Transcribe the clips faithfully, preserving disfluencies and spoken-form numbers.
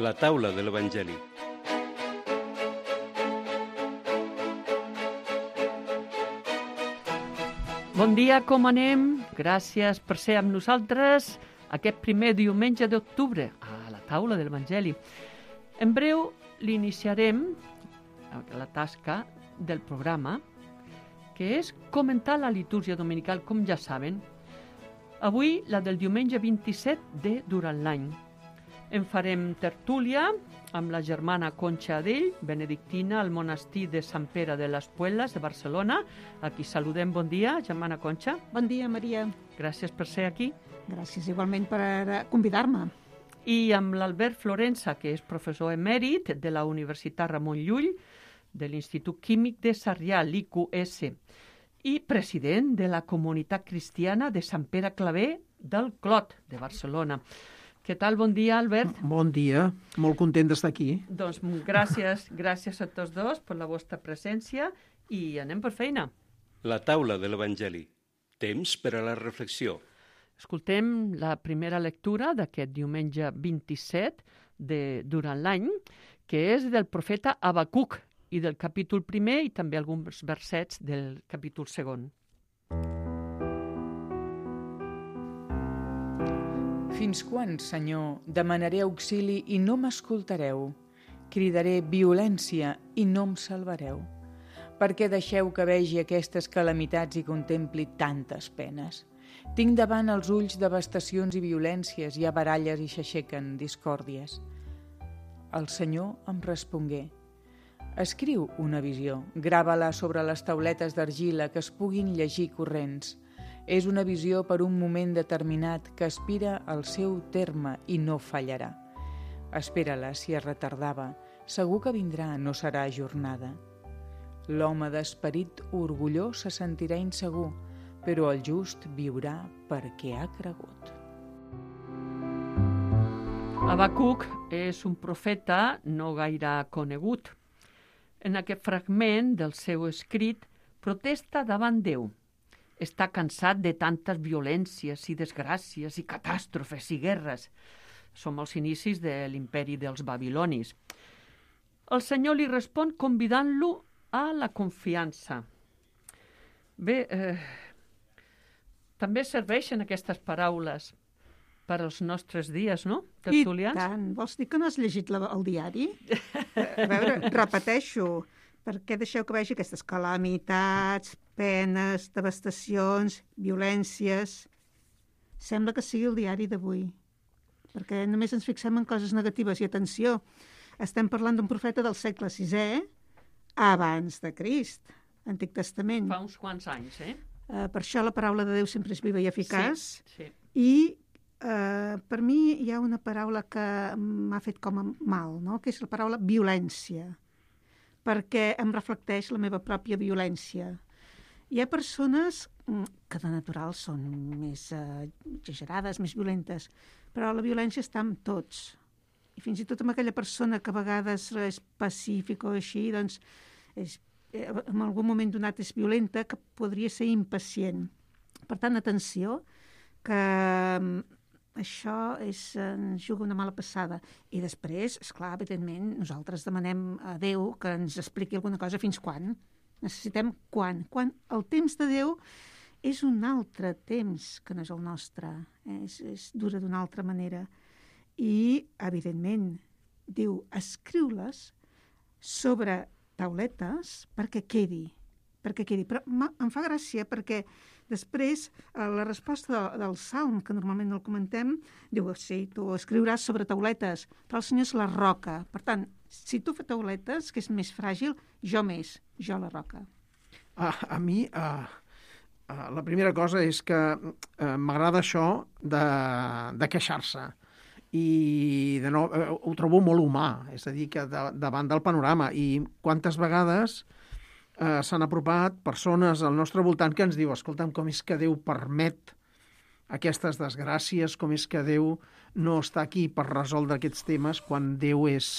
La taula de l'Evangeli. Bon dia, com anem? Gràcies per ser amb nosaltres aquest primer diumenge d'octubre a la taula de l'Evangeli. En breu l'iniciarem la tasca del programa, que és comentar la litúrgia dominical, com ja saben. Avui la del diumenge vint-i-set de durant l'any. En farem tertúlia amb la germana Concha Adell, benedictina al monestir de Sant Pere de les Puelles de Barcelona. A qui saludem. Bon dia, germana Concha. Bon dia, Maria. Gràcies per ser aquí. Gràcies igualment per convidar-me. I amb l'Albert Florensa, que és professor emèrit de la Universitat Ramon Llull, de l'Institut Químic de Sarrià, l'I Q S, i president de la Comunitat Cristiana de Sant Pere Claver del Clot, de Barcelona. Què tal? Bon dia, Albert. Bon dia, molt content d'estar aquí. Doncs gràcies, gràcies a tots dos per la vostra presència i anem per feina. La taula de l'Evangeli. Temps per a la reflexió. Escoltem la primera lectura d'aquest diumenge vint-i-set de durant l'any, que és del profeta Habacuc i del capítol primer i també alguns versets del capítol segon. Fins quan, Senyor, demanaré auxili i no m'escoltareu? Cridaré violència i no em salvareu. Per què deixeu que vegi aquestes calamitats i contempli tantes penes? Tinc davant els ulls devastacions i violències, hi ha baralles i s'aixequen discòrdies. El Senyor em respongué: escriu una visió, grava-la sobre les tauletes d'argila que es puguin llegir corrents. És una visió per un moment determinat que aspira al seu terme i no fallarà. Espera-la si es retardava, segur que vindrà, no serà ajornada. L'home d'esperit orgullós se sentirà insegur, però el just viurà perquè ha cregut. Habacuc és un profeta no gaire conegut. En aquest fragment del seu escrit protesta davant Déu. Està cansat de tantes violències i desgràcies i catàstrofes i guerres. Som als inicis de l'imperi dels babilonis. El Senyor li respon convidant-lo a la confiança. Bé, eh, també serveixen aquestes paraules per als nostres dies, no, tertulians? I tant. Vols dir que no has llegit la, el diari? A veure, repeteixo, per què deixeu que vegi aquestes calamitats, penes, devastacions, violències? Sembla que sigui el diari d'avui, perquè només ens fixem en coses negatives. I atenció, estem parlant d'un profeta del segle sisè, abans de Crist, Antic Testament. Fa uns quants anys, eh? Uh, per això la paraula de Déu sempre és viva i eficaç. Sí, sí. I uh, per mi hi ha una paraula que m'ha fet com a mal, no? Que és la paraula violència, perquè em reflecteix la meva pròpia violència. Hi ha persones que de natural són més uh, exagerades, més violentes, però la violència està amb tots. I fins i tot amb aquella persona que a vegades és pacífica o així, doncs és, en algun moment donat és violenta, que podria ser impacient. Per tant, atenció, que això és, ens juga una mala passada. I després, esclar, evidentment, nosaltres demanem a Déu que ens expliqui alguna cosa. Fins quan? Necessitem quan? Quan el temps de Déu és un altre temps que no és el nostre. Eh? És, és dura d'una altra manera. I, evidentment, diu, escriu-les sobre tauletes perquè quedi. perquè quedi. Però em fa gràcia perquè després la resposta de, del Salm, que normalment no el comentem, diu, sí, tu escriuràs sobre tauletes, però el Senyor és la roca. Per tant, si tu fas tauletes, que és més fràgil, jo més, jo la roca. A, a mi, uh, uh, la primera cosa és que uh, m'agrada això de, de queixar-se. I de nou, uh, ho trobo molt humà, és a dir, que de, davant del panorama. I quantes vegades Uh, s'han apropat persones al nostre voltant que ens diu, escolta'm, com és que Déu permet aquestes desgràcies, com és que Déu no està aquí per resoldre aquests temes quan Déu és,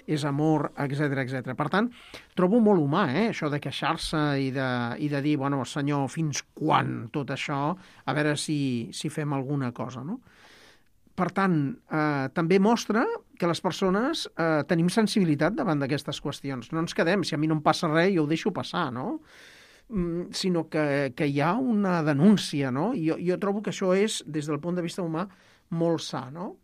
és amor, etcètera, etcètera. Per tant, trobo molt humà, eh, això de queixar-se i de, i de dir, bueno, Senyor, fins quan tot això? A veure si, si fem alguna cosa, no? per tant, eh, també mostra que les persones eh, tenim sensibilitat davant d'aquestes qüestions. No ens quedem, si a mi no em passa res, jo ho deixo passar, no? Mm, sinó que, que hi ha una denúncia, no? I jo, jo trobo que això és, des del punt de vista humà, molt sa, no?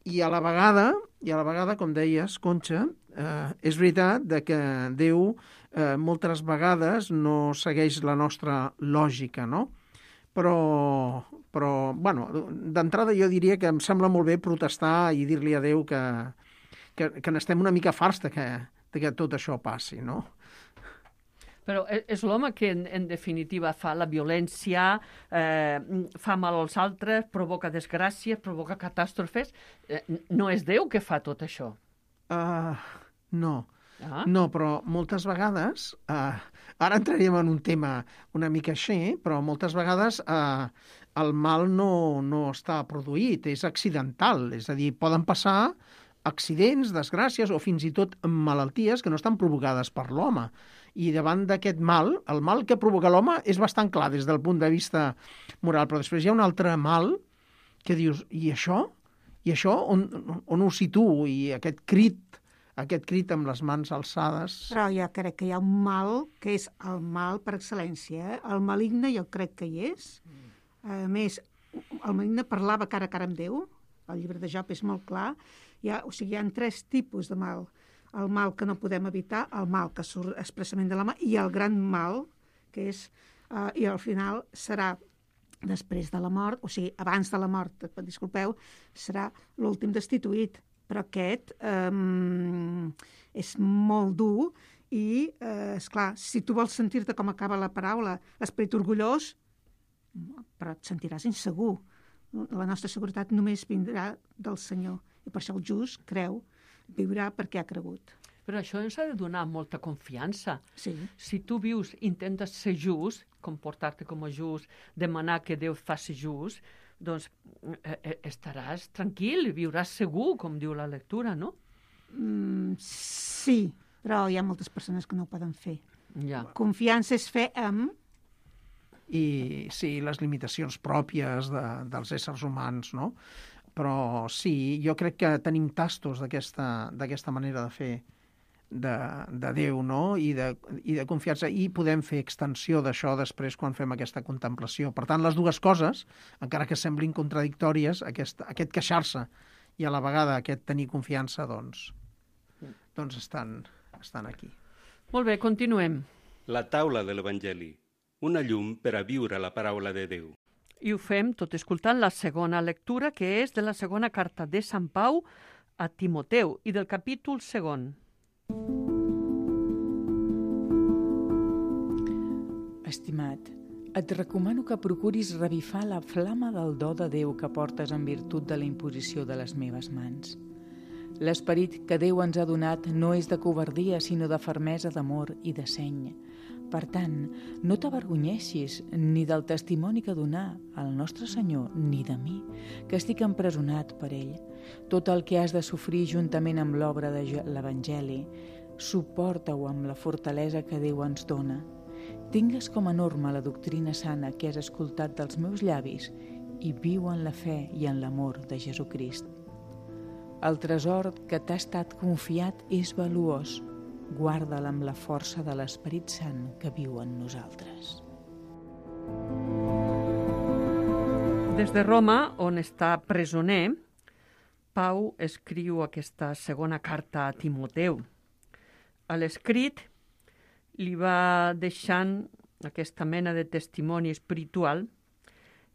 I a la vegada, i a la vegada, com deies, Conxa, eh, és veritat de que Déu eh, moltes vegades no segueix la nostra lògica, no? Però, però bueno, d'entrada jo diria que em sembla molt bé protestar i dir-li a Déu que, que, que n'estem una mica farts de que, de que tot això passi, no? Però és l'home que, en, en definitiva, fa la violència, eh, fa mal als altres, provoca desgràcies, provoca catàstrofes. Eh, no és Déu que fa tot això. Uh, no. Ah. No, però moltes vegades, uh, ara entraríem en un tema una mica així, però moltes vegades uh, el mal no, no està produït, és accidental. És a dir, poden passar accidents, desgràcies o fins i tot malalties que no estan provocades per l'home. I davant d'aquest mal, el mal que provoca l'home és bastant clar des del punt de vista moral, però després hi ha un altre mal que dius, i això? I això on, on ho situo? I aquest crit, aquest crit amb les mans alçades... Però jo crec que hi ha un mal que és el mal per excel·lència. Eh? El maligne jo crec que hi és. A més, el maligne parlava cara a cara amb Déu. El llibre de Job és molt clar. Hi ha, o sigui, hi ha tres tipus de mal. El mal que no podem evitar, el mal que surt expressament de l'home i el gran mal, que és, eh, i al final serà després de la mort, o sigui, abans de la mort, disculpeu, serà l'últim destituït. Però aquest eh, és molt dur i, eh, esclar, si tu vols sentir-te com acaba la paraula, esperit orgullós, però et sentiràs insegur. La nostra seguretat només vindrà del Senyor. I per això el just creu, viurà perquè ha cregut. Però això ens ha de donar molta confiança. Sí. Si tu vius, intentes ser just, comportar-te com a just, demanar que Déu faci just, doncs eh, estaràs tranquil, viuràs segur, com diu la lectura, no? Mm, sí, però hi ha moltes persones que no ho poden fer. Ja. Confiança és fer amb... I sí, les limitacions pròpies de, dels éssers humans, no? Però sí, jo crec que tenim tastos d'aquesta d'aquesta manera de fer de, de Déu, no? I de, i de confiança, i podem fer extensió d'això després quan fem aquesta contemplació. Per tant, les dues coses, encara que semblin contradictòries, aquest, aquest queixar-se i a la vegada aquest tenir confiança, doncs, doncs estan, estan aquí. Molt bé, continuem. La taula de l'Evangeli, una llum per a viure la paraula de Déu. I ho fem tot escoltant la segona lectura, que és de la segona carta de Sant Pau a Timoteu i del capítol segon. Estimat, et recomano que procuris revifar la flama del do de Déu que portes en virtut de la imposició de les meves mans. L'esperit que Déu ens ha donat no és de covardia, sinó de fermesa d'amor i de seny. Per tant, no t'avergonyeixis ni del testimoni que donà al nostre Senyor, ni de mi, que estic empresonat per ell. Tot el que has de sofrir juntament amb l'obra de l'Evangeli, suporta-ho amb la fortalesa que Déu ens dona. Tingues com a norma la doctrina sana que has escoltat dels meus llavis i viu en la fe i en l'amor de Jesucrist. El tresor que t'ha estat confiat és valuós. Guarda'l amb la força de l'Esperit Sant que viu en nosaltres. Des de Roma, on està presoner, Pau escriu aquesta segona carta a Timoteu. A l'escrit li va deixant aquesta mena de testimoni espiritual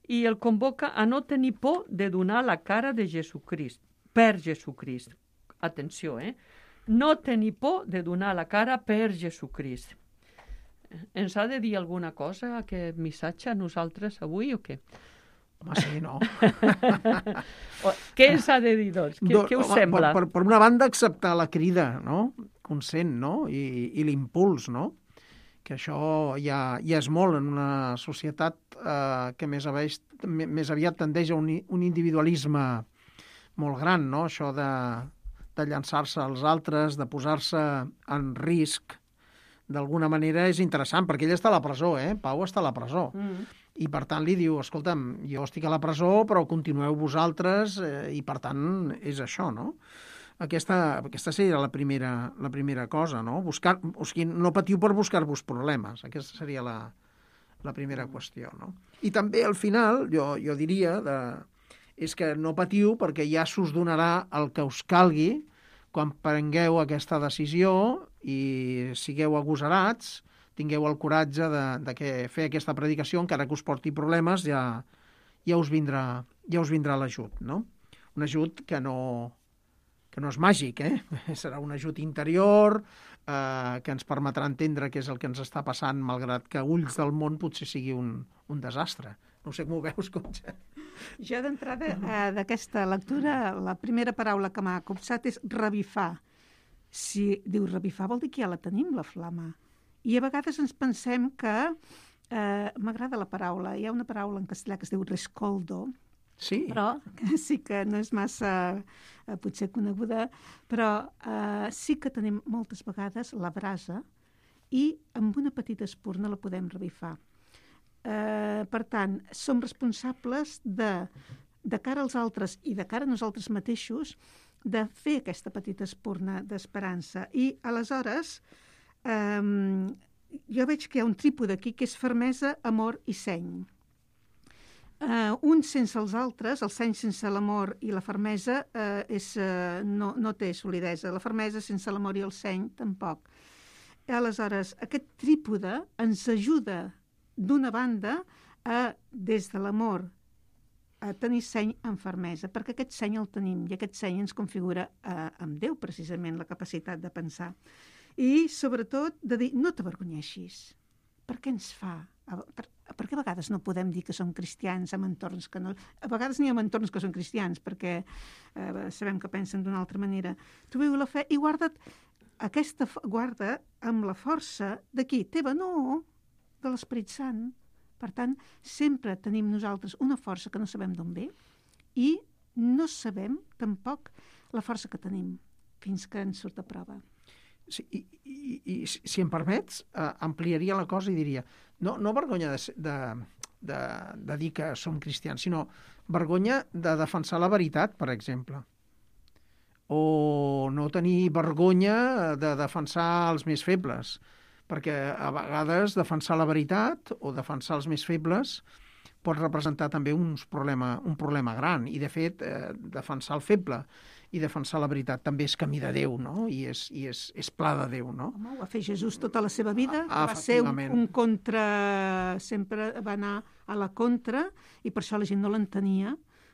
i el convoca a no tenir por de donar la cara de Jesucrist, per Jesucrist. Atenció, eh? No tenir por de donar la cara per Jesucrist. Ens ha de dir alguna cosa aquest missatge a nosaltres avui o què? Home, sí, no? Què ens ha de dir, doncs? Què, què us home, sembla? Per, per una banda, acceptar la crida, no? Consent, no? I, i l'impuls, no? Que això ja, ja és molt en una societat eh, que més, aveix, més aviat tendeix a un, un individualisme molt gran, no? Això de... de llançar-se als altres, de posar-se en risc, d'alguna manera és interessant, perquè ell està a la presó, eh? Pau està a la presó. Mm. I per tant li diu, escolta'm, jo estic a la presó, però continueu vosaltres, eh, i per tant és això, no? Aquesta, aquesta seria la primera, la primera cosa, no? Buscar, o sigui, no patiu per buscar-vos problemes. Aquesta seria la, la primera qüestió, no? I també al final, jo, jo diria, de, és que no patiu perquè ja s'us donarà el que us calgui quan prengueu aquesta decisió i sigueu agosarats, tingueu el coratge de, de que fer aquesta predicació, encara que us porti problemes, ja, ja us vindrà, ja us vindrà l'ajut, no? Un ajut que no, que no és màgic, eh? Serà un ajut interior, eh, que ens permetrà entendre què és el que ens està passant, malgrat que a ulls del món potser sigui un, un desastre. No sé com ho veus, Conxa. Jo d'entrada eh, d'aquesta lectura, la primera paraula que m'ha copsat és revifar. Si diu revifar vol dir que ja la tenim, la flama. I a vegades ens pensem que, eh, m'agrada la paraula, hi ha una paraula en castellà que es diu rescoldo, Sí. però que sí que no és massa eh, potser coneguda, però eh, sí que tenim moltes vegades la brasa i amb una petita espurna la podem revifar. Eh, per tant, som responsables de, de cara als altres i de cara a nosaltres mateixos de fer aquesta petita espurna d'esperança. I aleshores Um, jo veig que hi ha un trípode aquí que és fermesa, amor i seny. Uh, un sense els altres, el seny sense l'amor i la fermesa uh, és, uh, no, no té solidesa. La fermesa sense l'amor i el seny tampoc. Aleshores, aquest trípode ens ajuda d'una banda a, des de l'amor, a tenir seny amb fermesa, perquè aquest seny el tenim i aquest seny ens configura uh, amb Déu, precisament, la capacitat de pensar. I, sobretot, de dir, no t'avergonyeixis. Per què ens fa? Per, per què a vegades no podem dir que som cristians en entorns que no... A vegades n'hi ha entorns que són cristians, perquè eh, sabem que pensen d'una altra manera. Tu viu la fe i guarda't aquesta... Guarda amb la força de qui? Teva, no, de l'Esperit Sant. Per tant, sempre tenim nosaltres una força que no sabem d'on ve i no sabem, tampoc, la força que tenim fins que ens surt a prova. Sí, i, i, i si em permets, eh, ampliaria la cosa i diria, no, no vergonya de, de, de, de dir que som cristians, sinó vergonya de defensar la veritat, per exemple. O no tenir vergonya de defensar els més febles, perquè a vegades defensar la veritat o defensar els més febles pot representar també uns problema, un problema gran. I, de fet, eh, defensar el feble i defensar la veritat també és camí de Déu, no? I és, i és, és pla de Déu, no? Home, ho va fer Jesús tota la seva vida, Ah, va ser un, efectivament. un contra... Sempre va anar a la contra i per això la gent no l'entenia,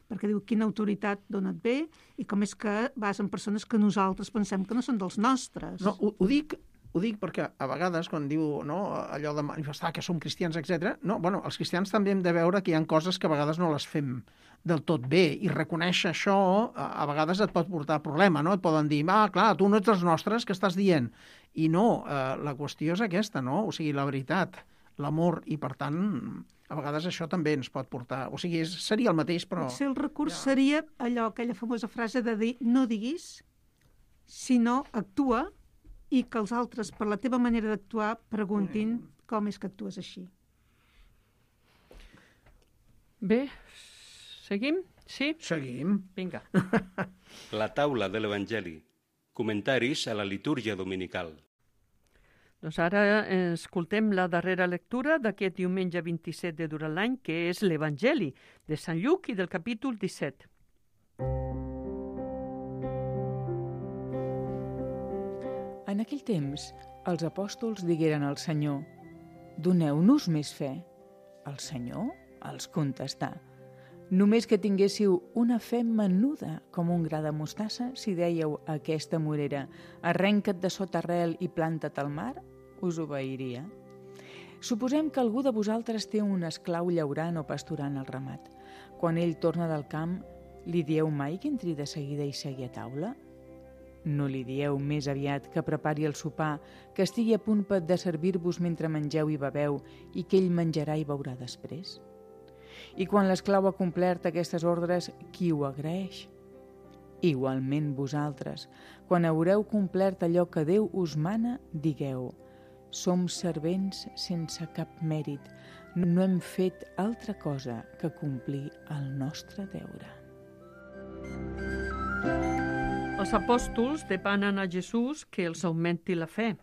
perquè diu, quina autoritat d'on et ve i com és que vas amb persones que nosaltres pensem que no són dels nostres. No, ho, ho dic Ho dic perquè a vegades, quan diu, no, allò de manifestar que som cristians, etcètera, no, bueno, els cristians també hem de veure que hi ha coses que a vegades no les fem del tot bé, i reconèixer això a, a vegades et pot portar problema, no? Et poden dir, ah, clar, tu no ets dels nostres, què estàs dient? I no, eh, la qüestió és aquesta, no? O sigui, la veritat, l'amor, i per tant, a vegades això també ens pot portar... O sigui, és, seria el mateix, però... Potser el recurs ja. seria allò, aquella famosa frase de dir, no diguis, sinó actua, i que els altres, per la teva manera d'actuar, preguntin com és que actues així. Bé, seguim? Sí? Seguim. Vinga. La taula de l'Evangeli. Comentaris a la litúrgia dominical. Doncs ara escoltem la darrera lectura d'aquest diumenge vint-i-set de durant l'any, que és l'Evangeli de Sant Lluc i del capítol disset. En aquell temps, els apòstols digueren al Senyor, «Doneu-nos més fe». El Senyor els contestà, «Només que tinguéssiu una fe menuda com un gra de mostassa, si dèieu a aquesta morera, arrenca't de sota arrel i planta't al mar, us obeiria. Suposem que algú de vosaltres té un esclau llaurant o pasturant el ramat. Quan ell torna del camp, li dieu mai que entri de seguida i segui a taula? No li dieu més aviat que prepari el sopar, que estigui a punt de servir-vos mentre mengeu i beveu i que ell menjarà i beurà després? I quan l'esclau ha complert aquestes ordres, qui ho agraeix? Igualment vosaltres, quan haureu complert allò que Déu us mana, digueu, som servents sense cap mèrit, no hem fet altra cosa que complir el nostre deure. Els apòstols demanen a Jesús que els augmenti la fe.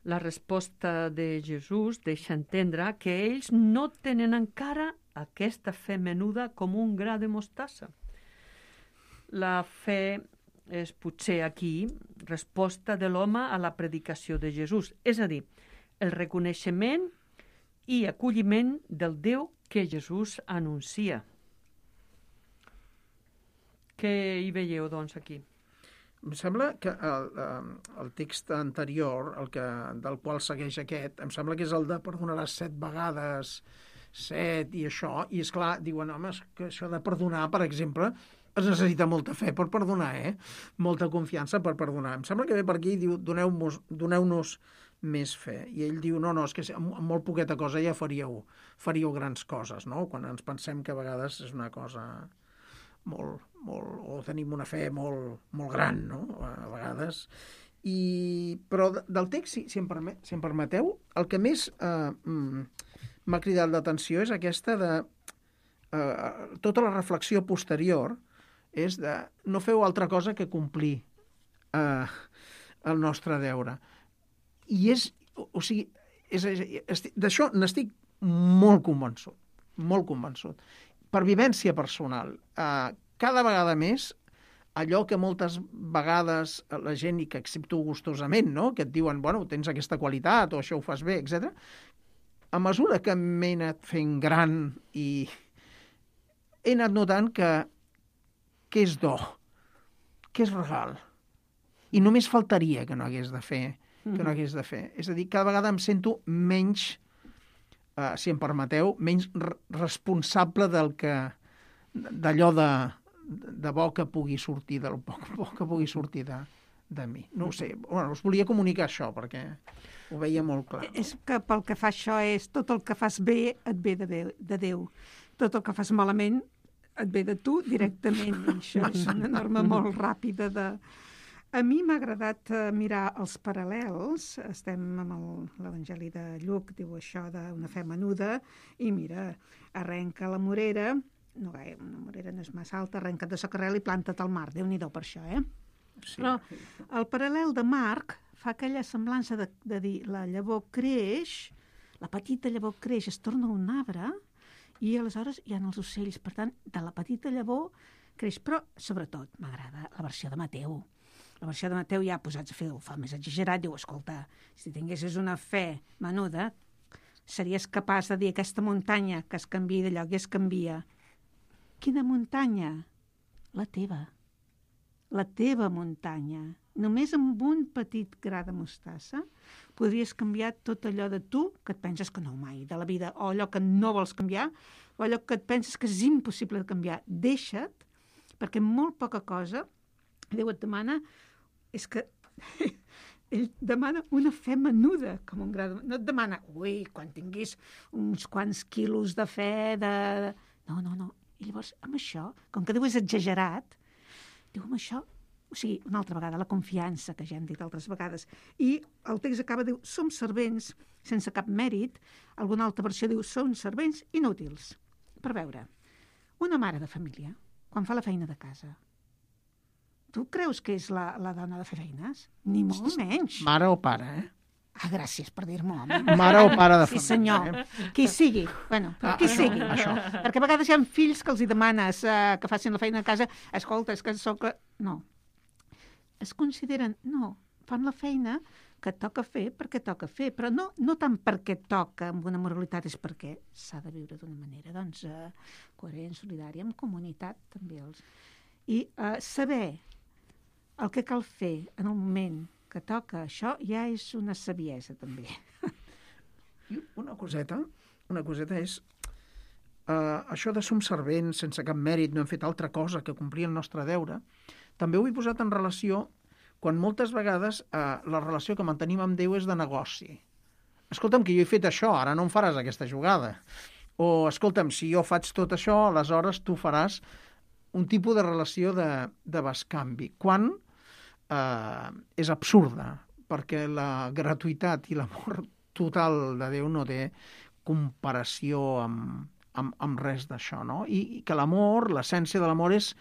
La resposta de Jesús deixa entendre que ells no tenen encara aquesta fe menuda com un gra de mostassa. La fe és potser aquí resposta de l'home a la predicació de Jesús, és a dir, el reconeixement i acolliment del Déu que Jesús anuncia. Què hi veieu, doncs, aquí? Em sembla que el, el text anterior, el que, del qual segueix aquest, em sembla que és el de perdonaràs set vegades, set i això, i és clar, diuen, home, que això de perdonar, per exemple, es necessita molta fe per perdonar, eh? Molta confiança per perdonar. Em sembla que ve per aquí i diu, doneu-nos doneu-nos més fe. I ell diu, no, no, és que amb molt poqueta cosa ja faríeu, faríeu grans coses, no? Quan ens pensem que a vegades és una cosa molt, molt, o tenim una fe molt, molt gran, no? A vegades. I, però del text, si, si, em permet, si em permeteu, el que més eh, m'ha cridat l'atenció és aquesta de eh, tota la reflexió posterior és de no feu altra cosa que complir eh, el nostre deure. I és, o sigui, és, és, d'això n'estic molt convençut, molt convençut. Per vivència personal, eh, cada vegada més, allò que moltes vegades la gent, i que accepto gustosament, no? Que et diuen, bueno, tens aquesta qualitat, o això ho fas bé, etcètera. A mesura que m'he anat fent gran i he anat notant que, que és do, que és regal. I només faltaria que no hagués de fer, que no hagués de fer. És a dir, cada vegada em sento menys, eh, si em permeteu, menys responsable del que, d'allò de, de bo que pugui sortir, del bo, bo que pugui sortir de, de mi. No ho sé, bueno, us volia comunicar això, perquè ho veia molt clar. És que pel que fa això és tot el que fas bé et ve de, Déu, de Déu. Tot el que fas malament et ve de tu directament. Això és una norma molt ràpida de... A mi m'ha agradat mirar els paral·lels. Estem amb l'Evangeli de Lluc, diu això d'una fe menuda, i mira, arrenca la morera, no gaire, una morera no és massa alta, arrenca't de socarrel i planta't al mar. Déu-n'hi-do per això, eh? Sí. Però el paral·lel de Marc fa aquella semblança de, de dir la llavor creix, la petita llavor creix, es torna un arbre, i aleshores hi ha els ocells. Per tant, de la petita llavor creix. Però, sobretot, m'agrada la versió de Mateu. La versió de Mateu ja posats a fer, ho fa més exagerat, diu, escolta, si tinguessis una fe menuda, series capaç de dir aquesta muntanya que es canvia de lloc i es canvia. Quina muntanya? La teva. La teva muntanya. Només amb un petit gra de mostassa podries canviar tot allò de tu que et penses que no mai de la vida, o allò que no vols canviar, o allò que et penses que és impossible de canviar. Deixa't, perquè molt poca cosa Déu et demana, és que ell demana una fe menuda, com un gra de... No et demana, ui, quan tinguis uns quants quilos de fe, de... No, no, no. I llavors, amb això, com que Déu és exagerat, diu, amb això, o sigui, una altra vegada, la confiança, que ja hem dit altres vegades. I el text acaba, diu, som servents sense cap mèrit. Alguna altra versió diu, som servents inútils. Per veure, una mare de família, quan fa la feina de casa, tu creus que és la, la dona de fer feines? Ni molt menys. Mare o pare, eh? Ah, gràcies per dir-m'ho, home. Mare o pare de família. Sí, senyor. Eh? Qui sigui. Bueno, però ah, qui això, sigui. Això. Perquè a vegades hi ha fills que els hi demanes uh, que facin la feina a casa. Escolta, és que soc... No. Es consideren... No. Fan la feina que toca fer perquè toca fer, però no, no tant perquè toca amb una moralitat, és perquè s'ha de viure d'una manera, doncs, uh, coherent, solidària, amb comunitat, també. Els... I uh, saber el que cal fer en el moment que toca això ja és una saviesa, també. I una coseta, una coseta és uh, això de som servents sense cap mèrit, no hem fet altra cosa que complir el nostre deure. També ho he posat en relació quan moltes vegades uh, la relació que mantenim amb Déu és de negoci. Escolta'm, que jo he fet això, ara no em faràs aquesta jugada. O, escolta'm, si jo faig tot això, aleshores tu faràs un tipus de relació de, de bescanvi, quan eh, és absurda, perquè la gratuïtat i l'amor total de Déu no té comparació amb, amb, amb res d'això, no? I, i que l'amor, l'essència de l'amor és,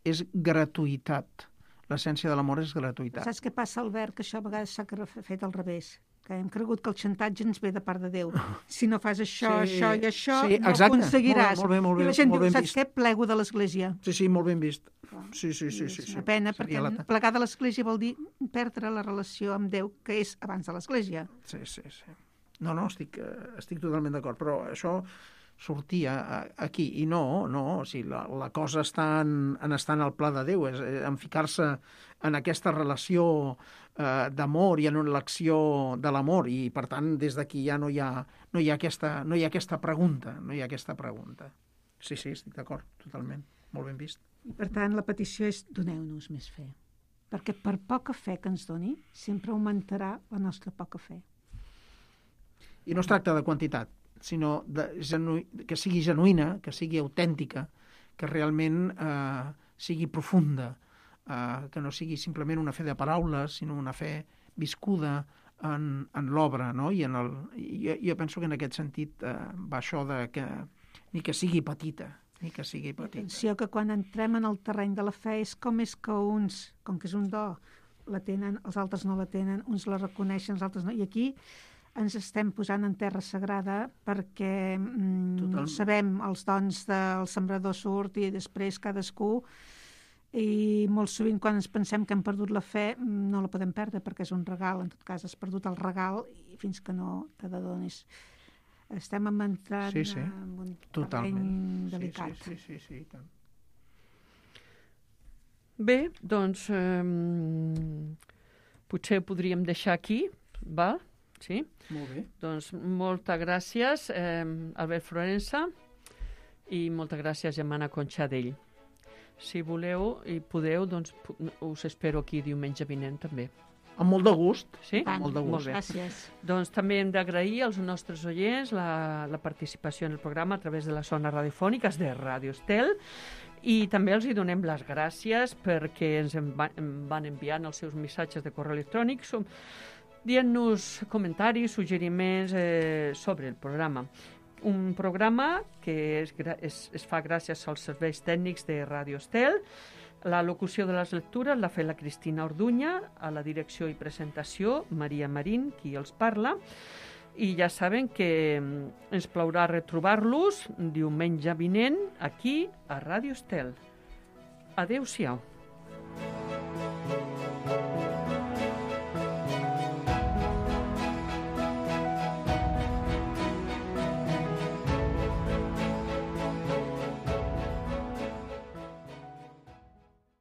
és gratuïtat. L'essència de l'amor és gratuïtat. Saps què passa, Albert? Que això a vegades s'ha fet al revés. Que hem cregut que el xantatge ens ve de part de Déu. Si no fas això, sí, això i això, sí, no exacte. aconseguiràs. Molt bé, molt bé, I la gent molt diu, ben saps vist. què? Plego de l'Església. Sí, sí, molt ben vist. Sí, sí, sí. sí, És sí. una pena, Seria perquè la... plegar de l'Església vol dir perdre la relació amb Déu, que és abans de l'Església. Sí, sí, sí. No, no, estic, eh, estic totalment d'acord, però això sortia aquí, i no, no, o sigui, la, la cosa està en, en estar en el pla de Déu, és, en ficar-se en aquesta relació eh, d'amor i en l'acció de l'amor, i per tant des d'aquí ja no hi ha, no hi ha, aquesta, no hi ha aquesta pregunta, no hi ha aquesta pregunta. Sí, sí, estic d'acord, totalment, molt ben vist. I per tant la petició és doneu-nos més fe, perquè per poca fe que ens doni sempre augmentarà la nostra poca fe. I no es tracta de quantitat, sinó de genu... que sigui genuïna, que sigui autèntica, que realment eh, sigui profunda, eh, que no sigui simplement una fe de paraules, sinó una fe viscuda en, en l'obra, no? I en el, jo, jo penso que en aquest sentit eh, va això de que ni que sigui petita, ni que sigui petita. Atenció que quan entrem en el terreny de la fe és com és que uns, com que és un do, la tenen, els altres no la tenen, uns la reconeixen, els altres no, i aquí ens estem posant en terra sagrada perquè mm, sabem els dons del sembrador surt i després cadascú, i molt sovint quan ens pensem que hem perdut la fe no la podem perdre perquè és un regal, en tot cas has perdut el regal i fins que no te l'adonis. Estem entrant sí, sí. en un Totalment. terreny delicat. Sí, sí, sí, sí, sí, tant. Bé, doncs eh, potser ho podríem deixar aquí, val? Sí? Molt bé. Doncs moltes gràcies, eh, Albert Florensa, i moltes gràcies, Gemma Conxadell. Si voleu i podeu, doncs us espero aquí diumenge vinent també. Amb molt de gust. Sí? Tant, molt de gust. Molt bé. Gràcies. Doncs també hem d'agrair als nostres oients la, la participació en el programa a través de les zones radiofòniques de Ràdio Estel, i també els hi donem les gràcies perquè ens en va, en van enviant els seus missatges de correu electrònic som, dient-nos comentaris, suggeriments eh, sobre el programa. Un programa que es, es, es fa gràcies als serveis tècnics de Ràdio Estel. La locució de les lectures l'ha fet la Cristina Orduña, a la direcció i presentació Maria Marín, qui els parla, i ja saben que ens plaurà retrobar-los diumenge vinent aquí a Ràdio Estel. Adéu-siau.